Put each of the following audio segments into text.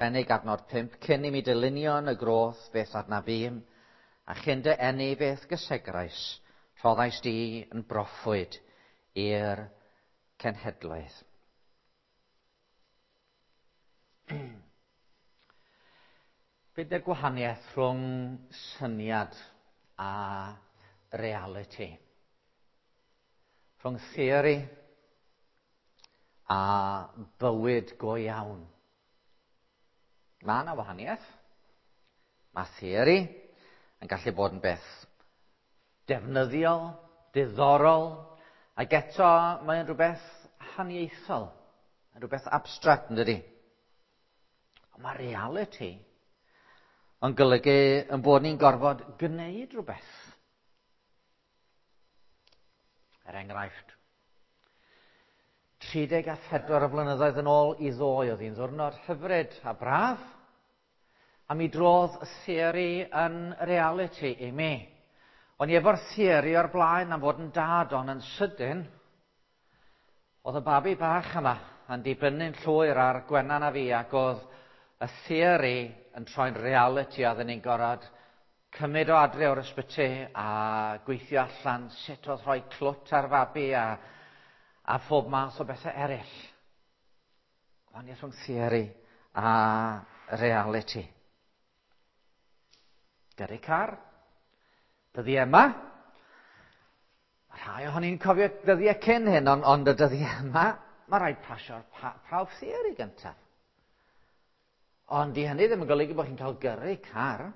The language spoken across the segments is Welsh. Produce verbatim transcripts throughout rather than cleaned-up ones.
Penig adnod pump, cyn i mi dylunio yn y groth beth adnabûm, a chyn dy eni beth gysegrais, rhoddais di yn broffwyd i'r cenhedloedd. Be di'r gwahaniaeth rhwng syniad a reality? Rhwng theori a bywyd go iawn. Mae yna wahaniaeth. Mae theori yn gallu bod yn beth defnyddiol, diddorol, ac eto mae'n rhywbeth haniaethol, yn rhywbeth abstract, yn dydi? Ond mae reality yn golygu yn bod ni'n gorfod gwneud rhywbeth. Er enghraifft, tri deg a phedwar o flynyddoedd yn ôl i ddoe, oedd hi'n ddiwrnod hyfryd a braf, a mi drodd y theori yn reality i mi. O'n i efo'r theori o'r blaen am fod yn dad, ond yn sydyn, oedd y babi bach yma yn dibynnu'n llwyr ar Gwenan a fi, ac oedd y theori yn troi'n reality, a oedden ni'n gorfod cymryd o adre o'r ysbyty a gweithio allan sut oedd rhoi clwt ar fabi a, a phob math o bethau eraill. Gwahaniaeth rhwng theori a reality. Gyrru car. Dyddiau yma. Mae rhai ohoni'n cofio dyddiau cyn hyn, ond, ond y dyddiau yma, mae rhaid pasio'r prawf theori gyntaf. Ond di hynny ddim yn golygu bod chi'n cael gyrru car.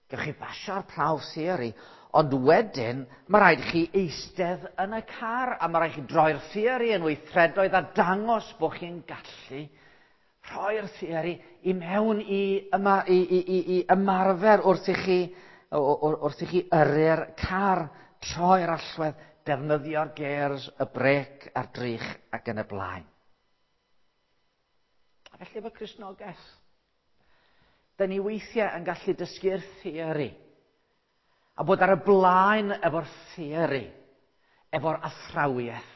Gewch chi basio'r prawf theori, ond wedyn mae rhaid chi eistedd yn y car a mae rhaid chi droi'r theori yn weithredoedd a dangos bod chi'n gallu rhoi'r theori i mewn i, yma, i, i, i, i ymarfer wrth i chi, wrth i chi yrru'r car, troi'r allwedd, defnyddio'r gers, y brêc a'r drych ac yn y blaen. A felly efo Cristnogaeth, da ni weithiau yn gallu dysgu'r theori a bod ar y blaen efo'r theori, efo'r athrawiaeth.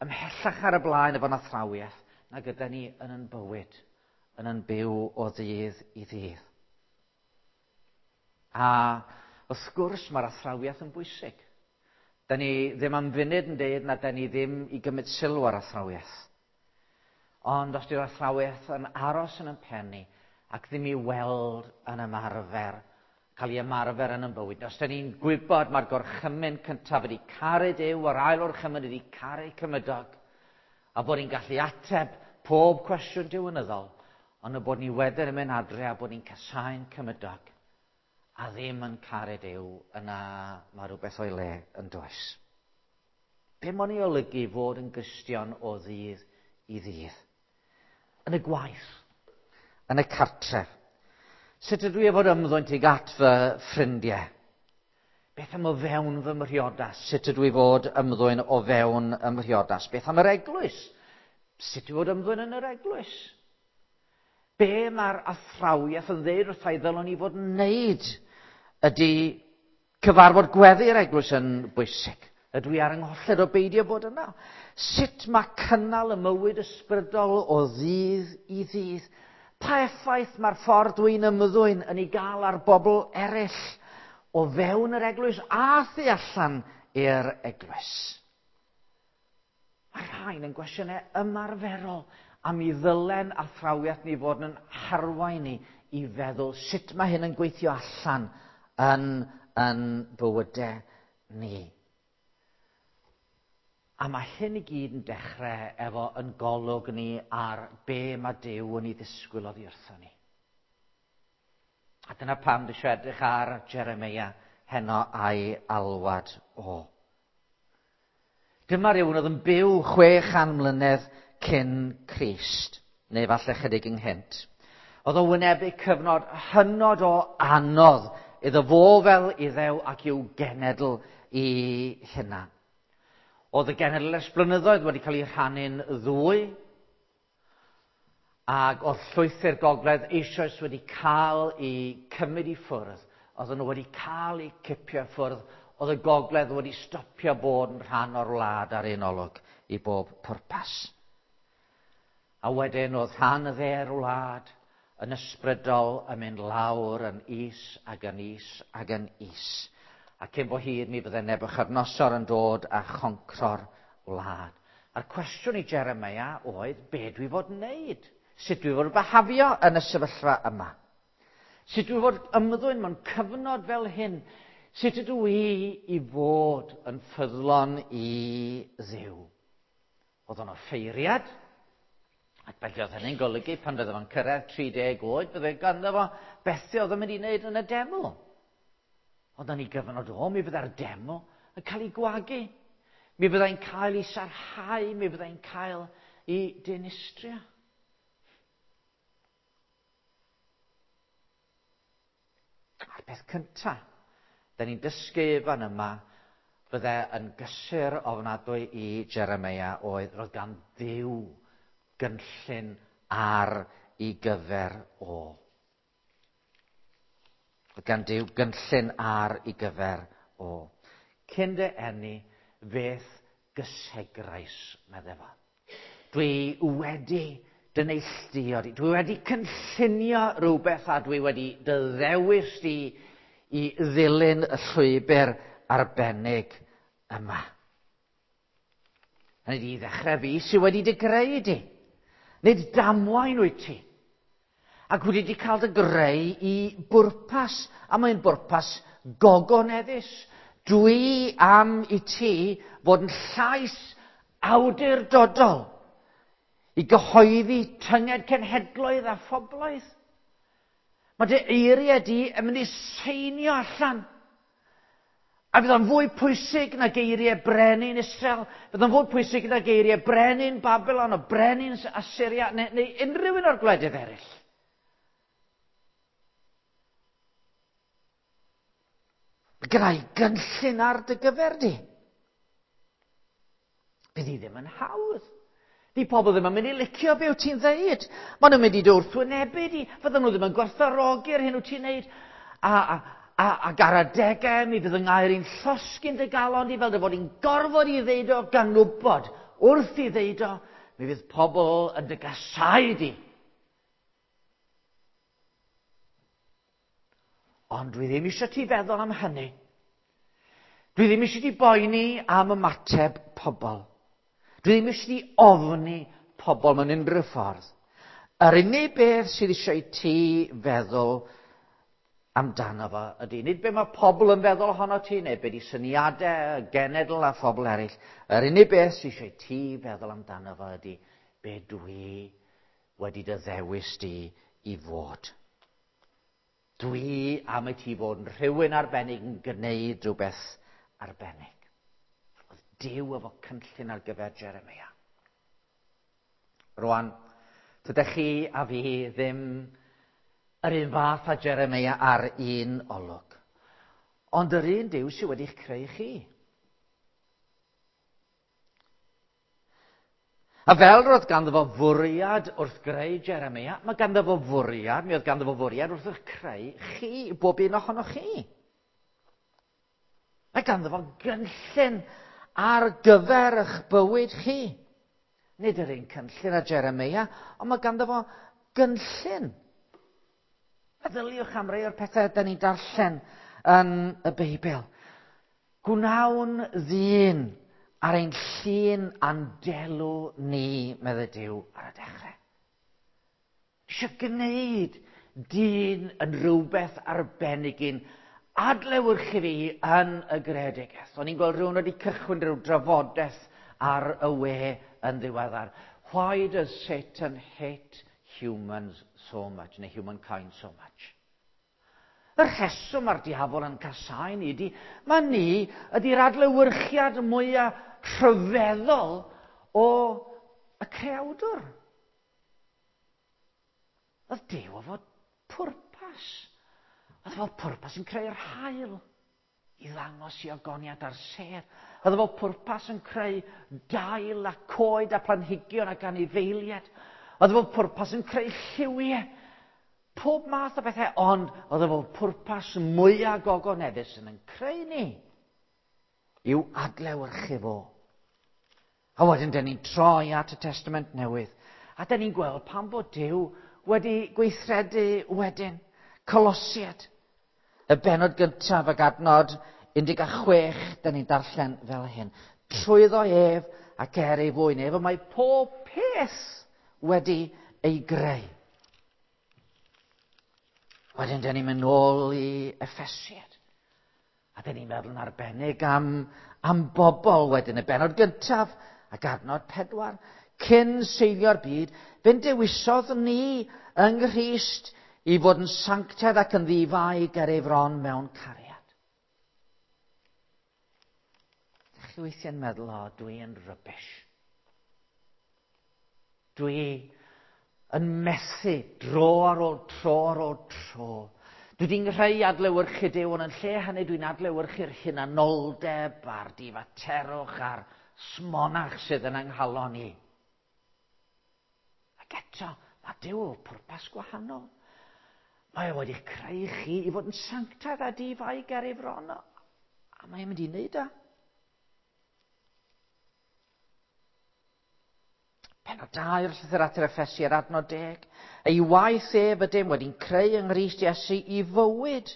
Ymhellach ar y blaen efo'n athrawiaeth na gyda ni yn yn bywyd, yn yn byw o ddydd i ddydd. A wrth gwrs mae'r athrawiaeth yn bwysig. Da ni ddim am funud yn deud na da ni ddim i gymryd sylw ar athrawiaeth. Ond os di'r athrawiaeth yn aros yn yn pen ni ac ddim i weld yn ymarfer, cael ei ymarfer yn yn bywyd. Os da ni'n gwybod mae'r gorchymyn cyntaf ydy caru Duw, a'r ail orchymyn ydy caru cymydog, a bod ni'n gallu ateb pob cwestiwn diwinyddol, ond y bod ni wedyn yn mynd adre a bod ni'n casáu'n cymydog, a ddim yn caru Duw, yna mae rhywbeth o'i le yn does. Be mae'n ei olygu fod yn Gristion o ddydd i ddydd? Yn y gwaith, yn y cartref. Sut ydw i fod ymddwyn tuag at fy ffrindiau? Beth am o fewn fy mhriodas? Sut ydw i fod ymddwyn o fewn y mhriodas? Beth am yr eglwys? Sut ydw i fod ymddwyn yn yr eglwys? Be mae'r athrawiaeth yn ddeud wrtha i ddylwn i fod yn wneud? Ydy cyfarfod gweddi'r eglwys yn bwysig? Ydw i ar yngholled o beidio bod yna? Sut mae cynnal y mywyd ysbrydol o ddydd i ddydd? Pa effaith mae'r ffordd dwi'n ymddwyn yn ei gael ar bobl eraill o fewn yr eglwys a thu allan i'r eglwys? Mae rhain yn gwestiynau ymarferol a mi ddylen athrawiaeth ni fod yn harwain ni i feddwl sut mae hyn yn gweithio allan yn, yn bywydau ni. A mae hyn i gyd yn dechrau efo yn golwg ni ar be mae Duw yn ei ddisgwyl oddi wrtho ni. A dyna pam dwi eisiau edrych ar Jeremeia heno a'i alwad o. Dyma rhywun oedd yn byw chwe chan mlynedd cyn Crist, neu falle chydig ynghynt. Oedd o'n wynebu cyfnod hynod o anodd iddo fo fel Iddew ac i'w genedl i hunan. Oedd y genedl ers blynyddoedd wedi cael ei rhannu'n ddwy, ac oedd llwythi'r gogledd eisoes wedi cael ei cymryd i ffwrdd. Oedden nhw wedi cael eu cipio ffwrdd. Oedd y gogledd wedi stopio bod yn rhan o'r wlad ar un olwg i bob pwrpas. A wedyn oedd rhan y dde'r wlad yn ysbrydol yn mynd lawr yn is ac yn is ac yn is. A cyn bo hir mi fydde Nebuchadnezzar yn dod a choncro'r wlad. A'r cwestiwn i Jeremia oedd, be dwi fod yn wneud? Sut dwi fod behafio yn y sefyllfa yma? Sut dwi fod ymddwyn mewn cyfnod fel hyn? Sut ydw i i fod yn ffyddlon i Dduw? Oedd o'n offeiriad, ac felly oedd hynny'n golygu pan fydde fo'n cyrraedd tri deg oed, fydde ganddo fo bethau oedd yn mynd i wneud yn y deml. Ond yn ei gyfnod o, mi fydde'r deml yn cael ei gwagu. Mi fyddai'n cael ei sarhau, mi fyddai'n cael ei dinistrio. A'r peth cyntaf, da ni'n dysgu fan yma, fydde yn gysur ofnadwy i Jeremia oedd roedd gan Dduw gynllun ar ei gyfer o. Roedd gan Dduw gynllun ar ei gyfer o. Cyn dy eni, fe'th gysegrais, medde fo. Dwi wedi dy neilltuo di. Dwi wedi cynllunio rhywbeth a dwi wedi dy ddewis di i ddilyn y llwybr arbennig yma. Hynny ydi, i ddechrau fi sydd wedi dy greu di. Nid damwain wyt ti. Ac wedi di cael dy greu i bwrpas, a mae'n bwrpas gogoneddus. Dwi am i ti fod yn llais awdurdodol i gyhoeddi tynged cenhedloedd a phobloedd. Mae dy eiriau di yn mynd i seinio allan. A fydd o'n fwy pwysig na geiriau brenin Israel, fydd o'n fwy pwysig na geiriau brenin Babylon o brenin Assyria neu, neu unrhyw un o'r gwledydd eraill. Gyda'i gynllun ar dy gyfer di. Bydd hi ddim yn hawdd. Di pobl ddim yn mynd i licio be wyt ti'n ddeud. Maen nhw'n mynd i dy wrthwynebu di. Fydden nhw ddim yn gwerthfawrogi'r hyn wyt ti'n neud. A, a, a, ac ar adegau mi fydd yng ngair i'n llosgi'n dy galon di fel dy fod i'n gorfod i ddeud o gan wybod. Wrth i ddeud o, mi fydd pobl yn dy gasau di. Ond dwi ddim eisiau ti feddwl am hynny. Dwi ddim eisiau ti boeni am ymateb pobl. Dwi ddim eisiau ti ofni pobl mewn unrhyw ffordd. Yr unig beth sydd eisiau ti feddwl amdano fo ydy, nid be mae pobl yn feddwl ohono ti, neu be di syniadau, y genedl a phobl eraill. Yr unig beth sydd eisiau ti feddwl amdano fo ydy, be dwi wedi dy ddewis di i fod. Dwi am i ti fod yn rhywun arbennig yn gwneud rhywbeth arbennig. Oedd Duw efo cynllun ar gyfer Jeremia. Rwan, tydych chi a fi ddim yr un fath â Jeremia ar un olwg. Ond yr un Duw sydd wedi'ch creu chi. A fel roedd ganddo fo fwriad wrth greu Jeremia, mae ganddo fo fwriad, mi oedd ganddo fo fwriad wrth eich creu chi, bob un ohonoch chi. Mae ganddo fo gynllun ar gyfer eich bywyd chi. Nid yr un cynllun â Jeremia, ond mae ganddo fo gynllun. Meddyliwch am rai o'r pethau da ni'n darllen yn y Beibl. Gwnawn ddyn ar ein llun a'n delw ni, medde Duw, ar y dechrau. Eisiau gwneud dyn yn rhywbeth arbennig un adlewyrchu fi yn y greadigaeth. O'n i'n gweld rhywun wedi cychwyn rhyw drafodaeth ar y we yn ddiweddar. Why does Satan hate humans so much, neu humankind so much? Y rheswm mae'r diafol yn casáu ni ydy, mae ni ydy'r adlewyrchiad mwyaf rhyfeddol o y creawdwr. Oedd Duw efo pwrpas. Oedd efo pwrpas yn creu'r haul i ddangos i ogoniad ar sêr. Oedd efo pwrpas yn creu dail a coed a planhigion ac anifeiliaid. Oedd efo pwrpas yn creu lliwiau. Pob math o bethau, ond oedd efo pwrpas mwyaf gogoneddus yn yn creu ni i'w adlewyrchu fo. A wedyn, dyn ni'n troi at y Testament Newydd, A da ni'n gweld pam bod Duw wedi gweithredu wedyn. Colosiaid, y bennod gyntaf ac adnod un deg chwech, da ni'n darllen fel hyn. Trwyddo ef ac er ei fwyn ef, y mae pob peth wedi ei greu. Wedyn, da ni'n mynd nôl i Effesiaid. A da ni'n meddwl yn arbennig am, am bobl wedyn. Y bennod gyntaf ac adnod pedwar. Cyn seilio'r byd, fe'n dewisodd ni yng Nghrist i fod yn sanctaidd ac yn ddifai ger ei fron mewn cariad. Dych chi weithiau'n meddwl, o, dwi yn rubbish. Dwi yn methu dro ar ôl tro ar ôl tro. Dwi wedi'n nghreu adlewyrchu Duw, ond yn lle hynny dwi'n adlewyrchu'r hunanoldeb a'r difaterwch a'r smonach sydd yn 'nghalon i. Ac eto, mae Duw o pwrpas gwahanol. Mae o wedi'ch creu chi i fod yn sanctaidd a difai ger ei fron. A mae'n mynd i wneud o. Pennod dau o'r llythyr at yr Effesiaid, adnod deg. Ei waith ef ydym wedi'n creu yng Nghrist Iesu i fywyd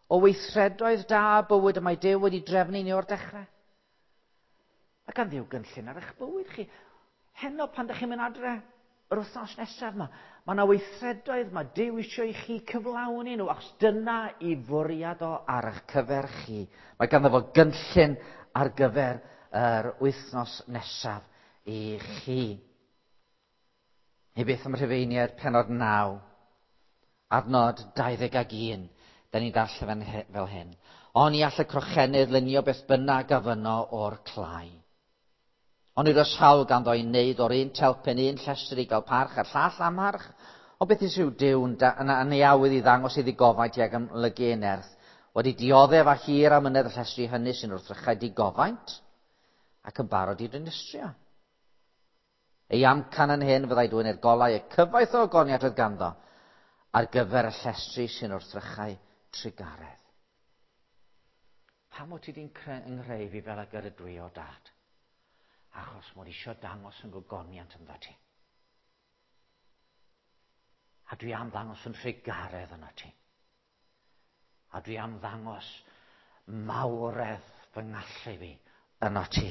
o weithredoedd da, bywyd y mae Duw wedi drefnu ni o'r dechrau. Mae gan Dduw gynllun ar eich bywyd chi. Heno pan ydych chi'n mynd adre, yr wythnos nesaf yma, mae yna weithredoedd mae Duw eisiau i chi cyflawni nhw, achos dyna i fwriad o ar eich cyfer chi. Mae ganddo fo gynllun ar gyfer yr wythnos nesaf i chi. Neu beth am Rhufeiniaid pennod naw, adnod dau ddeg ag un, da ni'n darllen fel hyn. Oni all y crochenydd lunio beth bynnag a fynno o'r clai. Ond nid oes hawl ganddo i wneud o'r un telpen un llestri i gael parch a'r llall amharch. Ond beth yw Duw'n yn ei awydd i ddangos ei ddigofaint ag amlygu ei nerth, wedi dioddef a hir amynedd y llestri hynny sy'n wrthrychau digofaint ac yn barod i dinistrio. Ei amcan yn hyn fyddai dwyn i'r golau y cyfoeth o ogoniant oedd ganddo ar gyfer y llestri sy'n wrthrychau trugaredd. Pam wyt ti wedi'n nghreu fi fel ag yr ydw i o dad? Achos mod eisiau dangos yn gogoniant ynddo ti. A dwi am ddangos yn trugaredd yno ti. A dwi am ddangos mawredd fy ngallu fi yno ti.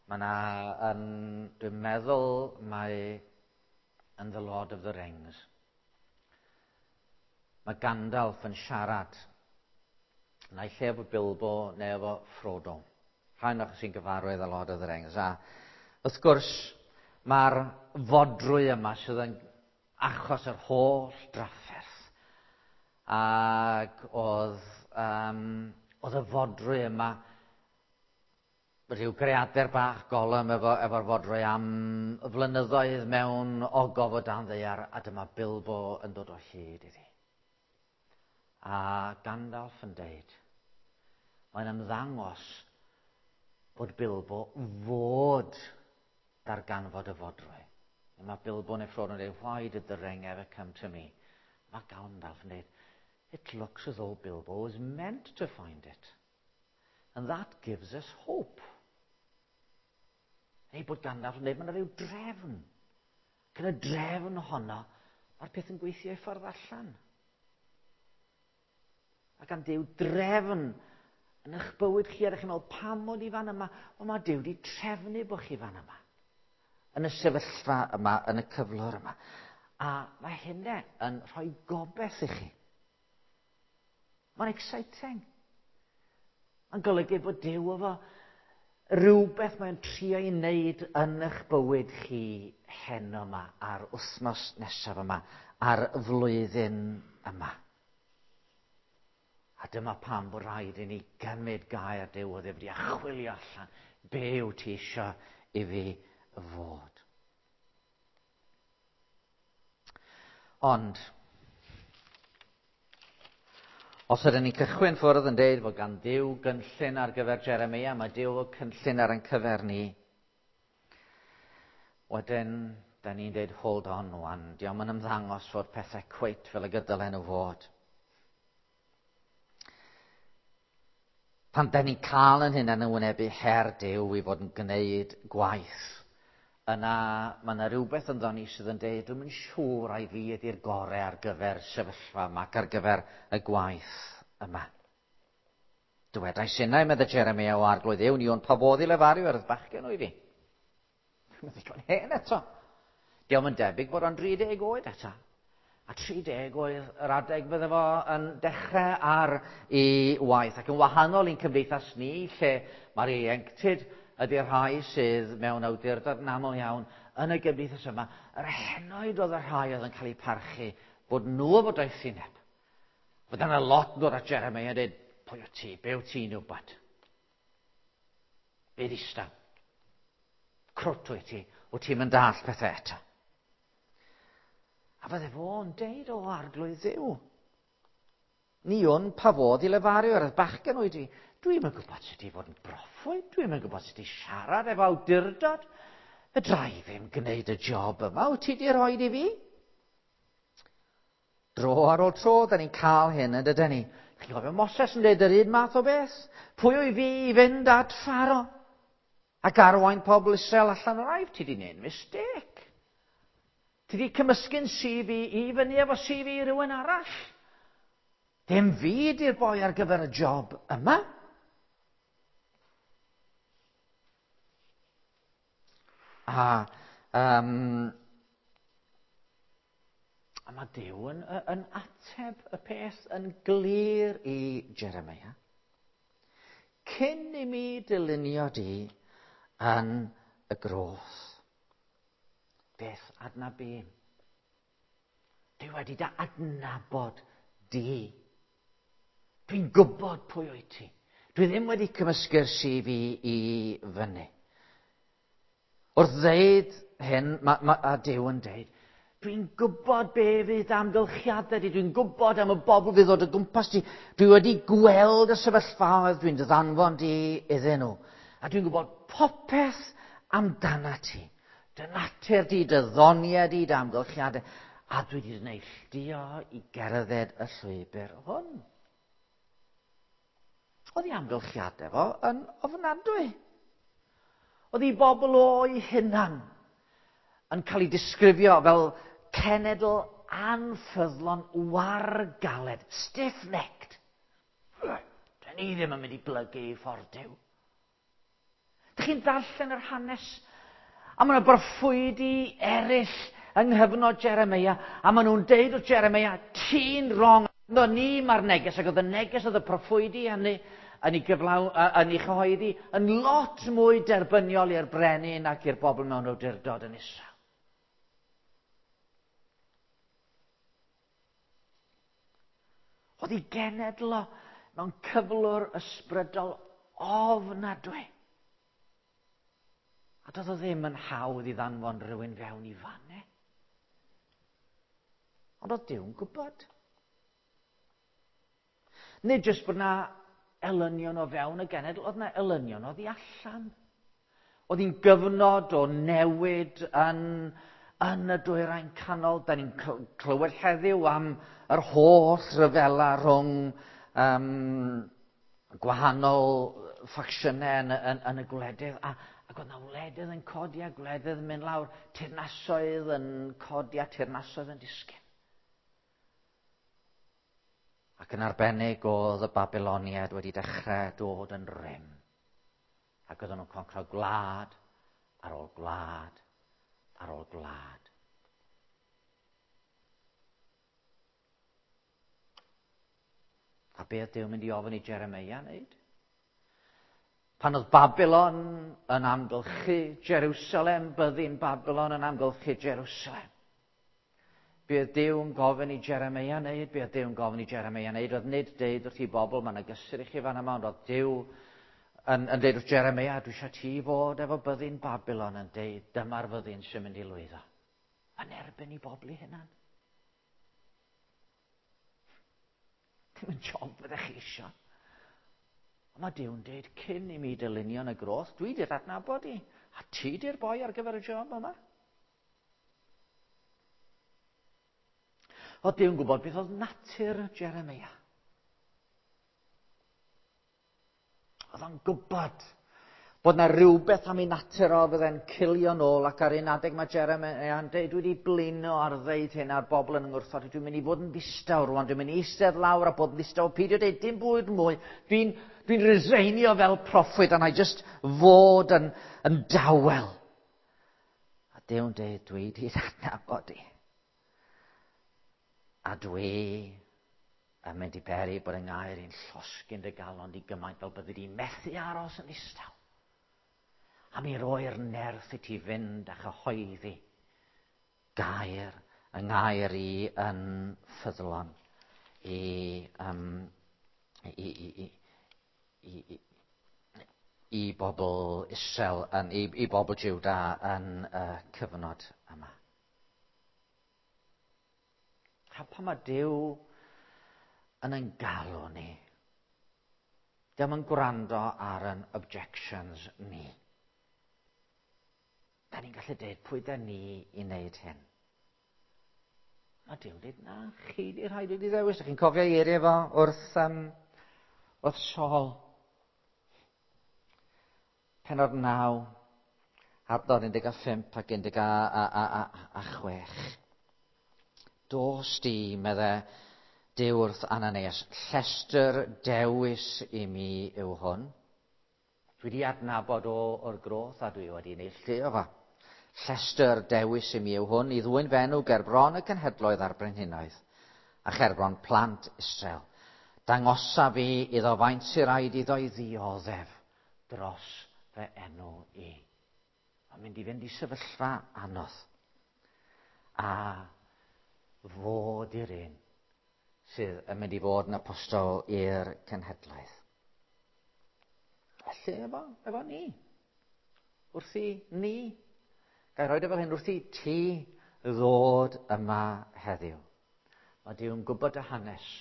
Mae yna, yn, dwi'n meddwl, mae yn The Lord of the Rings. Mae Gandalf yn siarad, naill ai efo Bilbo neu efo Frodo. Rhai ohonoch sy'n gyfarwydd â Lord of the Rings. A wrth gwrs, mae'r fodrwy yma sydd yn achos yr holl drafferth. Ac oedd, um, oedd y fodrwy yma rhyw greadur bach Gollum efo, efo'r fodrwy am flynyddoedd mewn ogof o dan ddaear, a dyma Bilbo yn dod o hyd iddi. A Gandalf yn deud, mae'n ymddangos bod Bilbo fod darganfod y fodrwy. Mae Bilbo neu Frodo yn dweud, why did the ring ever come to me? Mae Gandalf yn dweud, it looks as though Bilbo was meant to find it. And that gives us hope. Neu bod Gandalf yn dweud, mae yna rhyw drefn. Gyda drefn honno, mae'r peth yn gweithio i ffordd allan. Mae gan Duw drefn yn eich bywyd chi, a ydych chi'n meddwl, pam mod i fan yma? Wel, mae Duw wedi trefnu bod chi fan yma. Yn y sefyllfa yma, yn y cyflwr yma. A mae hynny yn rhoi gobaith i chi. Mae'n exciting. Mae'n golygu bod Duw efo rhywbeth mae'n trio i wneud yn eich bywyd chi heno yma, a'r wythnos nesaf yma, a'r flwyddyn yma. A dyma pam bod rhaid i ni gymryd gair Duw o ddifri a chwilio allan be wyt ti eisiau i fi fod. Ond, os ydyn ni'n cychwyn ffwrdd yn deud fod gan Dduw gynllun ar gyfer Jeremia, mae Duw o cynllun ar ein cyfer ni. Wedyn, da ni'n deud, hold on wan, dio'm yn ymddangos fod pethau cweit fel y dylen nhw fod. Pan da ni'n cael yn hunain yn wynebu her Duw i fod yn gwneud gwaith, yna mae yna rhywbeth ynddo ni sydd yn deud, dwi'm yn siŵr ai fi ydy'r gorau ar gyfer sefyllfa yma ac ar gyfer y gwaith yma. Dywedais innau, medde Jeremia, o Arglwydd Dduw, ni wn pa fodd i lefaru ar y bachgen o'i fi. Mae'n ddigon hen eto. Dio'm yn debyg bod o'n dri deg oed eto. A tri deg oedd yr adeg fydde fo yn dechrau ar ei waith. Ac yn wahanol i'n cymdeithas ni, lle mae'r ieuenctid ydy'r rhai sydd mewn awdurdod yn aml iawn yn y gymdeithas yma, yr henoed oedd y rhai oedd yn cael eu parchu bod nhw efo doethineb. Fod yna lot yn dod at Jeremia a dweud, pwy wyt ti, be wyt ti'n wybod? Be ddistaw? Crwt wyt ti, wyt ti'n mynd dall pethau eto. A fydde fo'n deud, o Arglwydd Dduw, ni wn pa fodd i lefaru ar y bachgen oed i. Dwi'm yn gwybod sut i fod yn broffwyd, dwi'm yn gwybod sut i siarad efo awdurdod. Fedra i ddim gwneud y job yma, wyt ti di roed i fi? Dro ar ôl tro, da ni'n cael hyn yn dydyn ni. Chi'n cofio Moses yn dweud yr un math o beth? Pwy wyf fi i fynd at Pharo? Ac arwain pobl Israel allan o'r Aifft? Ti di wneud mistake. Ti di cymysgu'n C V i fyny efo C V rhywun arall. Dim fi di'r boi ar gyfer y job yma. A, um, a mae Duw yn, yn ateb y peth yn glir i Jeremia. Cyn i mi dylunio di yn y groth. Beth adnabym? Dwi wedi dy adnabod di. Dwi'n gwybod pwy wyt ti. Dwi ddim wedi cymysgu'r C V i fyny. Wrth ddeud hyn, ma, ma, a Duw yn deud, dwi'n gwybod be fydd amgylchiadau di, dwi'n gwybod am y bobl fydd ddod o gwmpas di, dwi wedi gweld y sefyllfaoedd dwi'n dy ddanfon di iddyn nhw. A dwi'n gwybod popeth amdana ti. Dy natur di, dy ddoniau di, dy amgylchiadau. A dwi wedi neilltuo i gerdded y llwybr hwn. Oedd ei amgylchiadau fo yn ofnadwy. Oedd ei bobl o'i hunan yn cael ei disgrifio fel cenedl anffyddlon wargaled, stiff-necked. Dyn ni ddim yn mynd i blygu i ffordd Duw. Dych chi'n darllen yr hanes? A maen nhw'n broffwydi eraill yng nghyfnod Jeremia, a maen nhw'n deud wrth Jeremia, ti'n wrong. No, ni mae'r neges, ac oedd y neges oedd y proffwydi hynny yn ei gyflaw, yn ei chyhoeddi, yn lot mwy derbyniol i'r brenin ac i'r bobl mewn awdurdod yn Israel. Oedd ei genedl o mewn cyflwr ysbrydol ofnadwy. A doedd o ddim yn hawdd i ddanfon rhywun fewn i fanne. Ond oedd Duw'n gwybod. Nid jyst bod na elynion o fewn y genedl, oedd na elynion oddi allan. Oedd hi'n gyfnod o newid yn, yn y dwyrain canol. Da ni'n clywed heddiw am yr holl ryfela rhwng um, gwahanol ffacsiynau yn, yn, yn y gwledydd. A, ac oedd na wledydd yn codi a gwledydd yn mynd lawr, teyrnasoedd yn codi a teyrnasoedd yn disgyn. Ac yn arbennig oedd y Babyloniaid wedi dechrau dod yn rym. Ac oedden nhw'n concro gwlad ar ôl gwlad ar ôl gwlad. A be oedd Duw mynd i ofyn i Jeremia wneud? Pan oedd Babylon yn amgylchu Jerusalem, byddin Babylon yn amgylchu Jerusalem. Be oedd Duw yn gofyn i Jeremia wneud? Be oedd Duw yn gofyn i Jeremia wneud? Oedd nid deud wrth i bobl, mae yna gysur i chi fan yma, ond oedd Duw yn, yn deud wrth Jeremia, dwi eisiau ti fod efo byddin Babylon yn deud, dyma'r fyddin sy'n mynd i lwyddo. Yn erbyn i bobl i hunan. Dim yn job fyddech chi eisiau. Ond mae Duw'n deud, cyn i mi dylunio yn y groth, dwi di'r adnabod i, a ti di'r boi ar gyfer y job yma. Oedd Duw'n gwybod beth oedd natur Jeremia. Oedd o'n gwybod bod na rhywbeth am ei natur o fydde'n cilio nôl, ac ar un adeg mae Jeremiah yn dweud, dwi wedi blino ar ddeud hyn a'r bobl yn ngwrthod, dwi'n mynd i fod yn ddistaw rwan, dwi'n mynd i eistedd lawr a bod yn ddistaw, peidio dweud dim bwyd mwy, dwi'n dwi reseinio fel proffwyd, a na i just fod yn, yn dawel. A Duw'n dweud, dwi wedi adnabod i. A dwi yn mynd i beri bod yng ngair i'n llosgi'n dy galon di gymaint fel byddi di methu aros yn ddistaw. A mi roi'r nerth i ti fynd a chyhoeddi gair, yng ngair i yn ffyddlon i, um, i, i, i, i, i, i bobl Israel, yn, i, i bobl Juda yn y uh, cyfnod yma. A pan mae Duw yn ein galw ni, dim yn gwrando ar ein objections ni. Da ni'n gallu dweud pwy da ni i wneud hyn. Mae Duw'n dweud, na, chi di rhaid i ddewis. Chi'n cofio eiriau fo wrth, um, wrth Saul. Penod naw, adnod un deg pump ac un deg chwech. Dos di, medde Duw wrth Ananias, llestr dewis i mi yw hwn. Dwi wedi adnabod o o'r groth a dwi wedi neilltuo fo. Llestr dewis i mi yw hwn i ddwyn fy enw ger bron y cenhedloedd a'r brenhinoedd a cherbron plant Israel. Dangosa fi iddo faint sy'n rhaid iddo i ddioddef dros fy enw i. Mae'n mynd i fynd i sefyllfa anodd. A fod i'r un sydd yn mynd i fod yn apostol i'r cenhedlaeth. Felly efo, efo ni. Wrth i ni. Ga i roed e fel hyn, wrth i ti ddod yma heddiw. Mae Duw'n gwybod y hanes.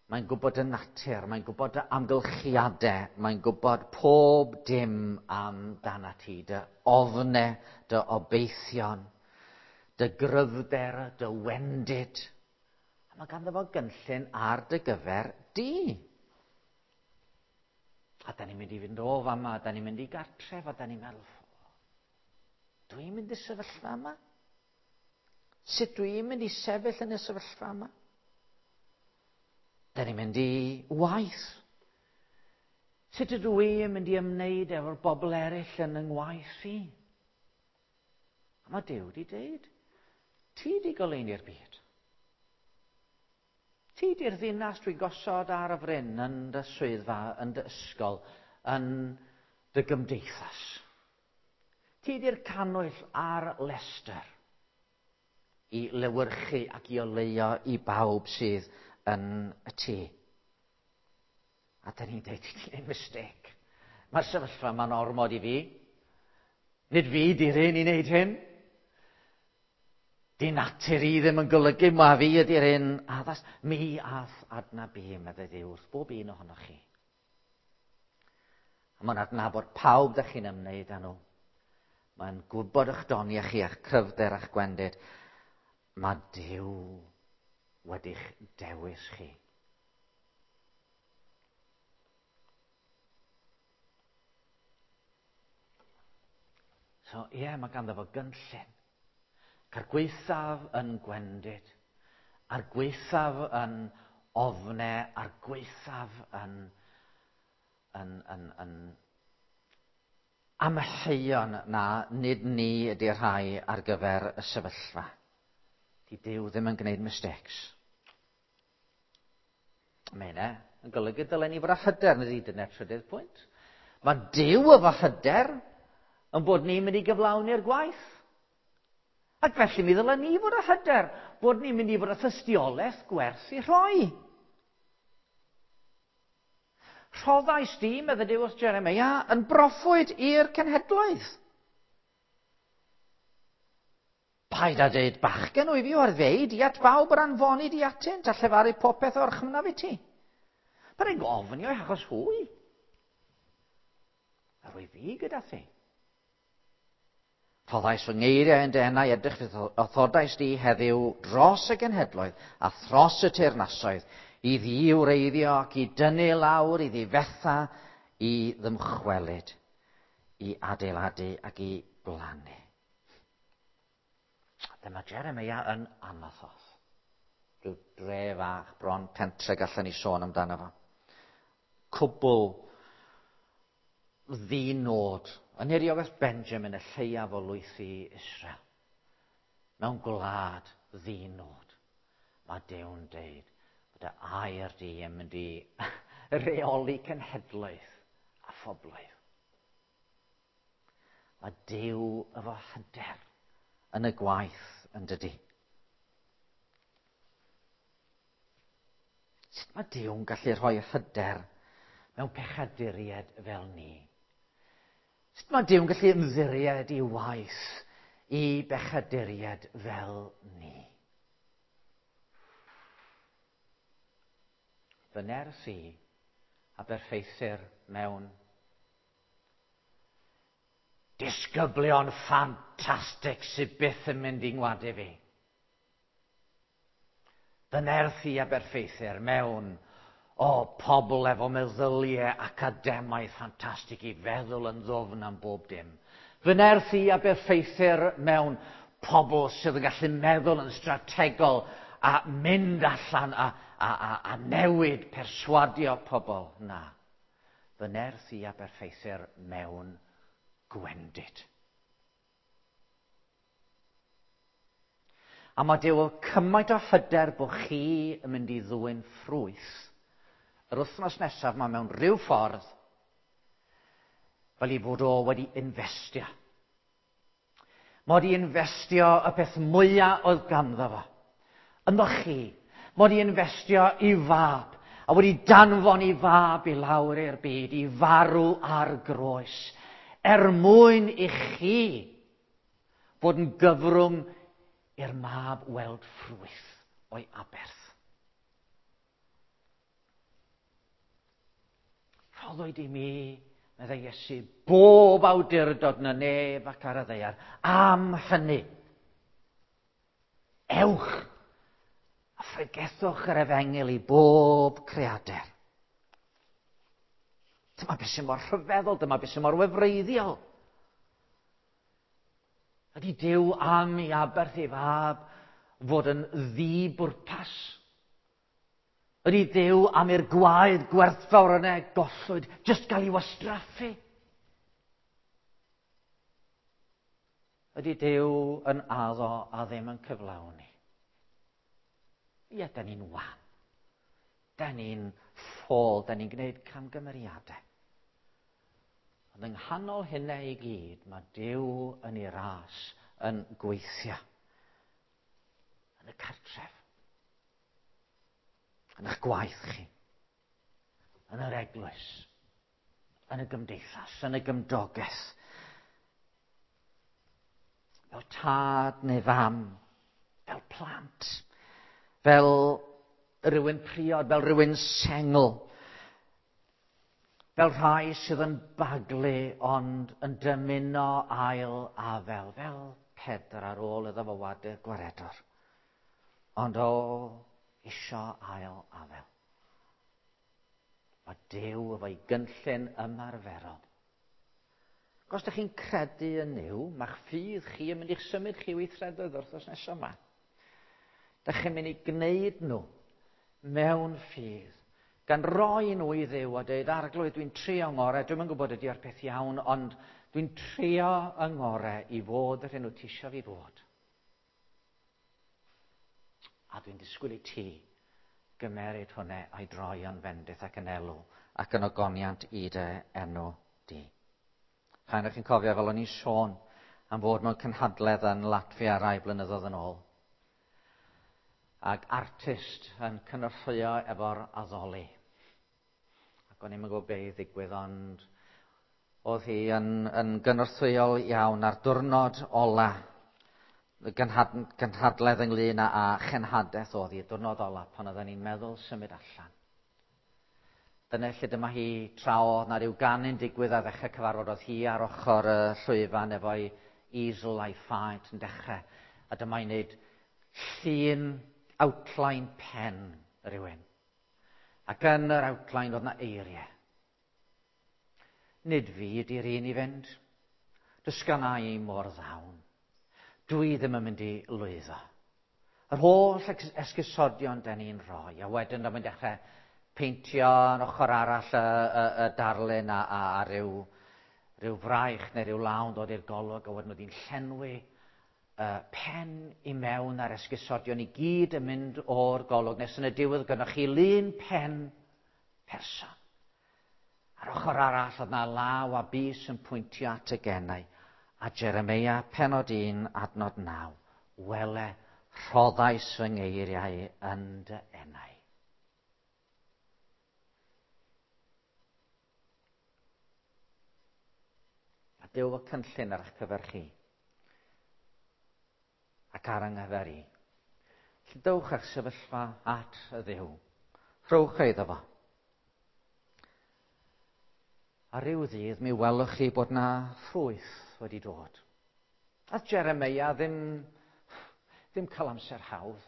Mae'n gwybod y natur, mae'n gwybod y amgylchiadau, mae'n gwybod pob dim amdana ti, dy ofne, dy obeithion, dy gryfder, dy wendid. A mae ganddo fo gynllun ar dy gyfer di. A da ni'n mynd i fynd o fama, da ni'n mynd i gartref, a da ni'n meddwl, dwi'n mynd i sefyllfa yma? Sut dwi'n mynd i sefyll yn y sefyllfa yma? Da ni'n mynd i waith. Sut ydw i yn mynd i ymwneud efo'r bobl eraill yn yng ngwaith i? A mae Duw wedi dweud, ti di goleuni'r byd. Ti di'r ddinas dwi'n gosod ar y fryn yn dy swyddfa, yn dy ysgol, yn dy gymdeithas. Ti di'r cannwyll ar lestr i lewyrchu ac i oleuo i bawb sydd yn y tŷ. A da ni'n dweud, ti 'di gwneud mistake. Mae'r sefyllfa yma'n ormod i fi. Nid fi di'r un i wneud hyn. Di natur i ddim yn golygu ma fi ydy'r un addas. Mi a'th adnabu, meddai Dduw wrth bob un ohonoch chi. A mae'n adnabod pawb da chi'n ymwneud â nhw. Mae'n gwybod eich doniau chi, a'ch cryfder a'ch gwendid. Mae Duw wedi'ch dewis chi. So, ie, yeah, mae ganddo fo gynllun. A'r gwaethaf yn gwendid, a'r gwaethaf yn ofne, a'r gwaethaf yn, yn, yn, yn amheuon na nid ni ydy'r rhai ar gyfer y sefyllfa. Di Duw ddim yn gwneud mistakes. Mae hynna yn golygu dylen ni fod â hyder, nid i dyna'r trydydd pwynt. Mae Duw efo hyder yn bod ni'n mynd i gyflawni'r gwaith. Ac felly mi ddylen ni fod â hyder bod ni'n mynd i fod â thystiolaeth gwerth i rhoi. Rhoddais di, meddai Duw wrth Jeremia, yn broffwyd i'r cenhedloedd. Paid â dweud bachgen wyf i o'r ddeud i at bawb yr anfonid i atynt a llefaru popeth o'r chymnaf i ti. Paid ag ofni o'i achos hwy. A rwy fi gyda thi. Rhoddais fy ngeiriau yn dy enau, edrych fydd othodais di heddiw dros y genhedloedd a thros y teyrnasoedd I ddiwreiddio ac i dynnu lawr, i ddifetha, i ddymchwelyd, i adeiladu ac i blannu. Dyma Jeremia yn Anathoth. Rhyw dre fach bron pentre gallen ni sôn amdano fo. Cwbl ddinod yn niriogaeth Benjamin, y lleiaf o lwythi Israel. Mewn gwlad ddinod. Mae Duw'n deud bod y air di yn mynd i reoli cenhedlaeth a phobloedd. Mae Duw efo hyder yn y gwaith yn dydi. Sut mae Duw'n gallu rhoi hyder mewn pechaduriaid fel ni? Sut mae Duw'n gallu ymddiried i waith i bechaduriaid fel ni? Fy nerth i a berffeithir mewn disgyblion ffantastig sydd byth yn mynd i ngwadu fi. Fy nerth i a berffeithir mewn o pobl efo meddyliau academaidd ffantastig i feddwl yn ddwfn am bob dim. Fy nerth i a berffeithir mewn pobl sydd yn gallu meddwl yn strategol a mynd allan a, a, a, a newid perswadio pobl. Na. Fy nerth i a berffeithir mewn gwendid. A mae Duw cymaint o hyder bod chi yn mynd i ddwyn ffrwyth yr wythnos nesaf mae mewn rhyw ffordd fel i fod o wedi investio. Mae wedi investio y peth mwyaf oedd ganddo fo. Ynddo chi, mae wedi investio i fab a wedi danfon i fab i lawr i'r byd i farw ar groes er mwyn i chi fod yn gyfrwng i'r mab weld ffrwyth o'i aberth. Rhoddwyd i mi, meddai Iesu, bob awdurdod yn y nef ac ar y ddaear. Am hynny, ewch a phregethwch yr efengyl i bob creadur. Dyma beth sy'n mor rhyfeddol, dyma beth sy'n mor wefreiddiol. Ydy Duw am i aberth ei fab fod yn ddibwrpas? Ydy Duw am i'r gwaed gwerthfawr yna gollwyd jyst gael ei wastraffu? Ydy Duw yn addo a ddim yn cyflawni? Ie, da ni'n wan. Da ni'n ffôl, da ni'n gwneud camgymeriadau. Ond yng nghanol hynna i gyd, mae Duw yn ei ras yn gweithio. Yn y cartref. Yn eich gwaith chi. Yn yr eglwys. Yn y gymdeithas, yn y gymdogaeth. Fel tad neu fam. Fel plant. Fel rhywun priod, fel rhywun sengl. Fel rhai sydd yn baglu ond yn dymuno ail afel, fel Pedr ar ôl iddo fo wadu'r gwaredwr. Ond o, isio ail afel. Mae Duw efo'i gynllun ymarferol. Os ydych chi'n credu yn Nuw, mae'ch ffydd chi yn mynd i'ch symud chi weithredoedd wrth nesaf yma. Dych chi'n mynd i gwneud nhw mewn ffydd, gan roi nhw i Dduw a dweud, Arglwydd, dwi'n trio ngorau, dwi'm yn gwybod ydy o'r peth iawn, ond dwi'n trio yng ngorau i fod yr hyn wyt ti isio fi fod. A dwi'n disgwyl i ti gymeryd hwnna a'i droi yn fendith ac yn elw ac yn ogoniant i dy enw di. Rhaid o'ch chi'n cofio fel o'n i'n sôn am fod mewn cynhadledd yn Latfia rai blynyddoedd yn ôl. Ac artist yn cynorthwyo efo'r addoli. Ac o'n i'm yn gwybod be i ddigwydd, ond oedd hi yn, yn gynorthwyol iawn ar diwrnod ola, y gynhad, gynhadledd ynglyn â, â chenhadaeth oedd hi, diwrnod ola, pan oedden ni'n meddwl symud allan. Dyna lle dyma hi tra oedd na ryw ganu'n digwydd ar ddechrau cyfarfod, oedd hi ar ochr y llwyfan efo'i easel a'i phaent yn dechrau. A dyma hi'n neud llun outline pen rhywun. Ac yn yr outline oedd na eiriau. Nid fi ydy'r un i fynd. Does gynna i mor ddawn. Dwi ddim yn mynd i lwyddo. Yr holl esgusodion da ni'n rhoi, a wedyn da ni'n dechrau peintio yn ochr arall y, y, y darlun a, a, a ryw, ryw fraich neu ryw lawn dod i'r golwg, a wedyn oedd hi'n llenwi uh, pen i mewn a'r esgusodion i gyd yn mynd o'r golwg, nes yn y diwedd gynnwch chi lun pen person. Ar ochr arall oedd na law a bys yn pwyntio at y genau. A Jeremia penod un adnod naw. Wele, rhoddais fy ngeiriau yn dy enau. A Duw y cynllun ar eich cyfer chi. Ac ar yng nghyfer i. Felly dowch eich sefyllfa at y Dduw. Rhowch ei iddo fo. A ryw ddydd mi welwch chi bod na ffrwyth wedi dod. A Jeremia ddim, ddim cael amser hawdd.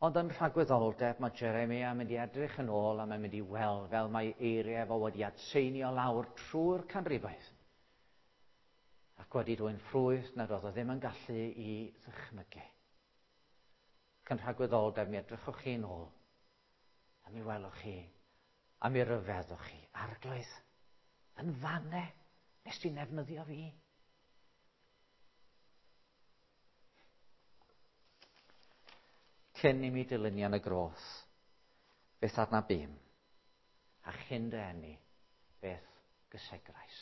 Ond yn rhagwyddoldeb mae Jeremia yn mynd i edrych yn ôl a mae'n mynd i weld fel mae eiriau fo wedi adseinio lawr trwy'r canrifoedd. Ac wedi dwyn ffrwyth nad oedd o ddim yn gallu i ddychmygu. Ac yn rhagwyddoldeb mi edrychwch chi'n ôl a mi welwch chi a mi ryfeddwch chi. Arglwydd, yn fanne, nes ti'n defnyddio fi. Cyn i mi dylunio yn y groth, beth adnabûm, a chyn dy eni, beth gysegrais.